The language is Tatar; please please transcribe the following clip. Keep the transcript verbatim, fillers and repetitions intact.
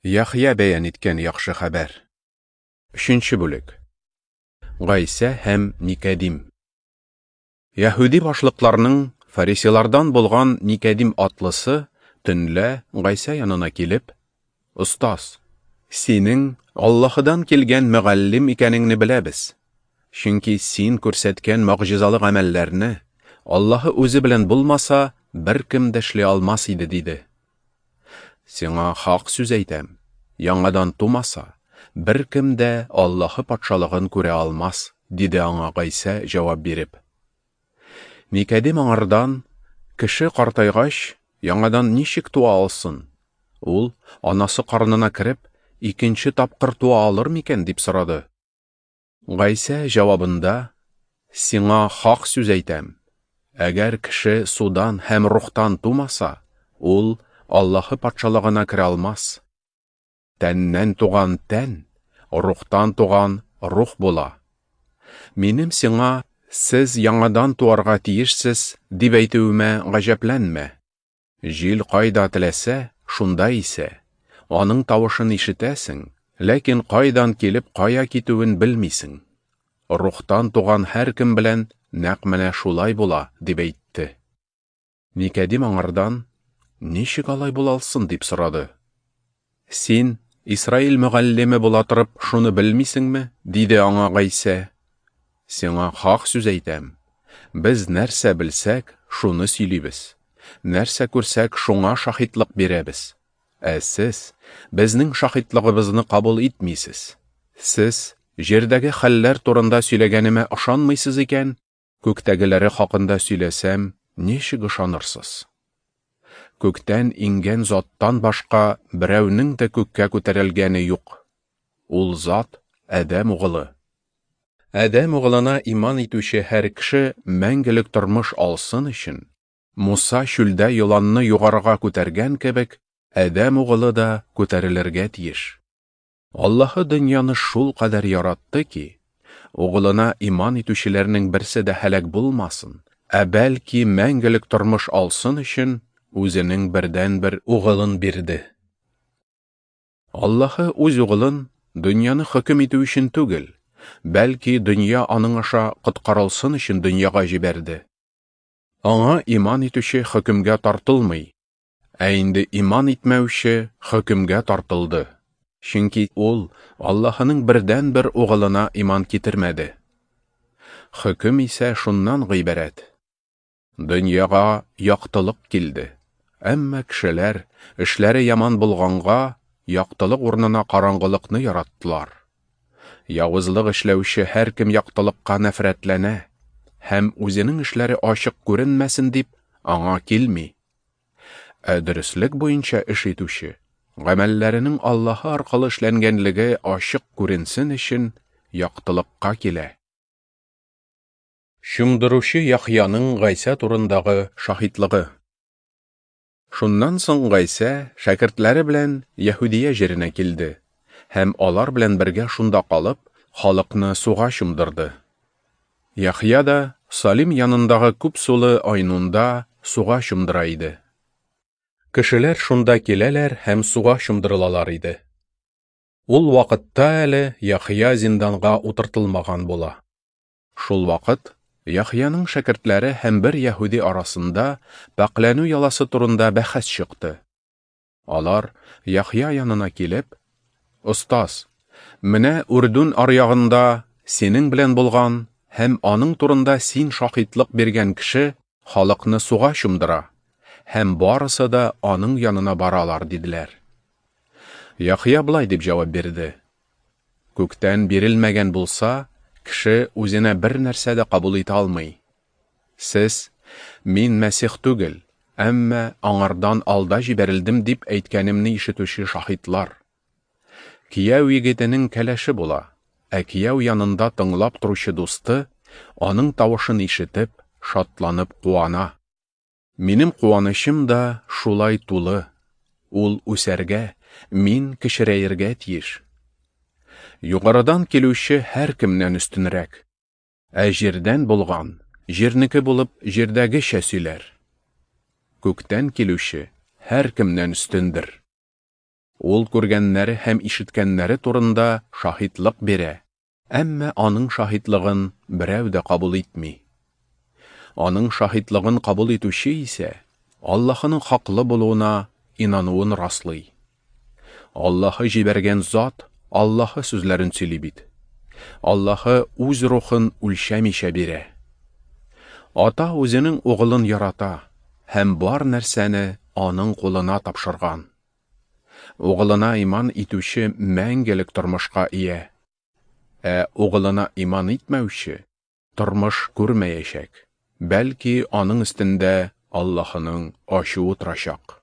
Яхъя бәян иткән яхшы хәбәр. Өченче бүлек. Гайсә һәм Никәдим. Яһүди башлыкларының фарисейлардан булган Никәдим атлысы төнлә Гайсә янына килеп: "Остаз, синең Аллаһыдан килгән мөгаллим икәнеңне беләбез. Чөнки син күрсәткән могҗизалы гамәлләрне Аллаһы үзе белән булмаса, беркем дә эшли алмас иде", диде. "Сиңа хак сүз әйтәм, яңадан тумаса, беркем дә Аллаһы патшалыгын күрә алмас", диде аңа Гайсә җавап биреп. Никәдим аңардан: "Кеше картайгач, яңадан ничек туа алсын? Ул анасы карынына кереп, икенче тапкыр туа алыр микән?" дип сорады. Гайсә җавабында: "Сиңа хак сүз әйтәм, әгәр кеше судан һәм рухтан тумаса, ул Аллаһы патшалыгына керә алмас. Тәннән туган тән, рухтан туган рух була. Минем сиңа: сез яңадан туарга тиешсез, дип әйтүемә гаҗәпләнмә. Җил кайда теләсә, шунда исә. Аның тавышын ишетәсең, ләкин кайдан килеп кая китүен белмисең. Рухтан туган һәркем белән нәкъ менә шулай була", дип әйтте. Никәдим аңардан: "Ничек алай була алсын?" дип сорады. "Син Исраил мөгаллиме була торып, шуны белмисеңме?" диде аңа Гайсә. "Сиңа хак сүз әйтәм, без нәрсә белсәк, шуны сөйлибез, нәрсә күрсәк, шуңа шаһитлык бирәбез. Ә сез безнең шаһитлыгыбызны кабул итмисез. Сез җирдәге хәлләр турында сөйләгәнемә ышанмыйсыз икән, күктәгеләре хакында сөйләсәм, ничек ышанырсыз? Күктән иңгән заттан башка берәүнең дә күккә күтәрелгәне юк. Ул зат Адәм угылы. Адәм угылына иман итүче һәр кеше мәңгелек тормыш алсын өчен, Муса чүлдә еланны югарыга күтәргән кебек, Адәм угылы да күтәрелергә тиеш. Аллаһы дөньяны шул кадәр яратты ки, угылына иман итүчеләрнең берсе дә һәлак булмасын, ә бәлки мәңгелек тормыш алсын өчен үзенең бердәнбер угылын бирде. Аллаһы үз угылын дөньяны хөкем итү өчен түгел, бәлки дөнья аның аша коткарылсын өчен дөньяга җибәрде. Аңа иман итүче хөкемгә тартылмый, ә инде иман итмәүче хөкемгә тартылды, чөнки ул Аллаһының бердәнбер угылына иман китермәде. Хөкем исә шуннан гыйбарәт: дөньяга яктылык килде, әмма кешеләр, эшләре яман булганга, яктылык урынына караңгылыкны яраттылар. Явызлык эшләүче һәркем яктылыкка нәфрәтләнә һәм үзенең эшләре ачык күренмәсен дип аңа килми. Ә дөреслек буенча эш итүче, гамәлләренең Аллаһы аркылы эшләнгәнлеге ачык күренсен өчен яктылыкка килә. Чумдыручы Яхъяның Гайсә турындагы шаһитлыгы. Шуннан соң Гайсә шәкертләре белән Яһүдия җиренә килде һәм алар белән бергә шунда калып, халыкны суга чумдырды. Яхъя да Салим янындагы күп сулы Айнунда суга чумдыра иде. Кешеләр шунда киләләр һәм суга чумдырылалар иде. Ул вакытта әле Яхъя зинданга утыртылмаган була. Шул вакыт Яхъяның шәкертләре һәм бер яһүди арасында пакьләнү яласы турында бәхәс чыкты. Алар Яхъя янына килеп: "Остаз, менә Үрдүн аръягында синең белән булган һәм аның турында син шаһитлык биргән кеше халыкны суга чумдыра, һәм барысы да аның янына баралар", диделәр. Яхъя болай дип җавап бирде: "Күктән бирелмәгән булса, кеше үзенә бер нәрсә дә кабул итә алмый. Сез: Мин Мәсих түгел, әмма аңардан алда җибәрелдем дип әйткәнемне ишетүче шаһитлар. Кияү егетенең кәләше була, ә кияү янында тыңлап торучы дусты, аның тавышын ишетеп, шатланып куана. Минем куанычым да шулай тулы. Ул үсәргә, мин кечерәергә тиеш. Югарыдан килүче һәркемнән өстенрәк, ә җирдән булган, җирнеке булып җирдәгечә сөйләр. Күктән килүче һәркемнән өстендер. Ул күргәннәре һәм ишеткәннәре турында шаһитлык бирә, әмма аның шаһитлыгын берәү дә кабул итми. Аның шаһитлыгын кабул итүче исә Аллаһының хаклы булуына инануын раслый. Аллаһы җибәргән зат Аллаһы сүзләрен сөйли бит. Аллаһы үз рухын үлчәмичә бирә. Ата үзенең угылын ярата һәм бар нәрсәне аның кулына тапшырган. Угылына иман итүче мәңгелек тормышка ия. Ә угылына иман итмәүче тормыш күрмәячәк, бәлки аның өстендә Аллаһының ачуы торачак.